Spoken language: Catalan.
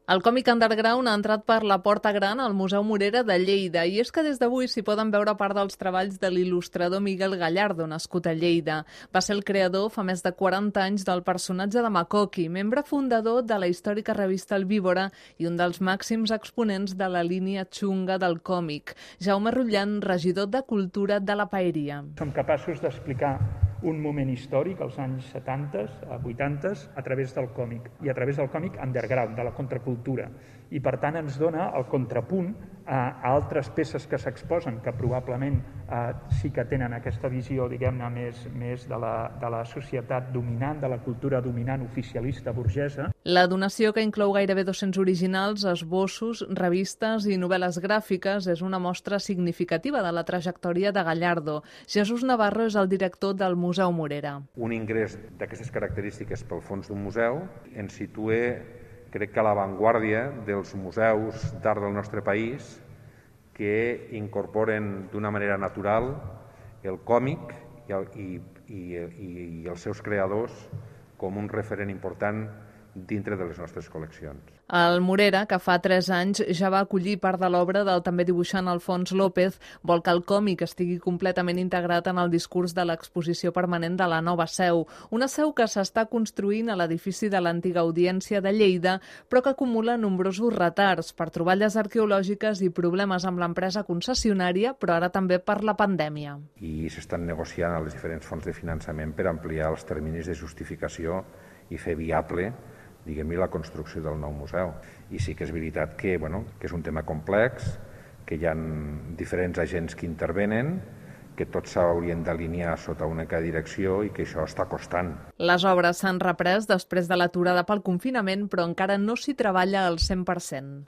El còmic underground ha entrat per la Porta Gran al Museu Morera de Lleida i és que des d'avui s'hi poden veure part dels treballs de l'il·lustrador Miguel Gallardo, nascut a Lleida. Va ser el creador fa més de 40 anys del personatge de Makoki, membre fundador de la històrica revista El Víbora i un dels màxims exponents de la línia xunga del còmic. Jaume Rutllan, regidor de Cultura de la Paeria. Som capaços d'explicar un moment històric, als anys 70, 80, a través del còmic, i a través del còmic underground, de la contracultura. I per tant ens dona el contrapunt a altres peces que s'exposen, que probablement sí que tenen aquesta visió, diguem-ne, més de la societat dominant, de la cultura dominant oficialista burgesa. La donació, que inclou gairebé 200 originals, esbossos, revistes i novel·les gràfiques, és una mostra significativa de la trajectòria de Gallardo. Jesús Navarro és el director del Museu Morera. Un ingrés d'aquestes característiques pel fons d'un museu ens situa, crec que a l'avantguàrdia dels museus d'art del nostre país que incorporen d'una manera natural el còmic i els seus creadors com un referent important dintre de les nostres col·leccions. El Morera, que fa 3 anys ja va acollir part de l'obra del també dibuixant Alfons López, vol que el còmic estigui completament integrat en el discurs de l'exposició permanent de la nova seu. Una seu que s'està construint a l'edifici de l'antiga Audiència de Lleida, però que acumula nombrosos retards per troballes arqueològiques i problemes amb l'empresa concessionària, però ara també per la pandèmia. I s'estan negociant a les diferents fonts de finançament per ampliar els terminis de justificació i fer viable, diguem-ne, la construcció del nou museu. I sí que és veritat que és un tema complex, que hi ha diferents agents que intervenen, que tots s'haurien d'alinear sota una direcció i que això està costant. Les obres s'han reprès després de l'aturada pel confinament, però encara no s'hi treballa al 100%.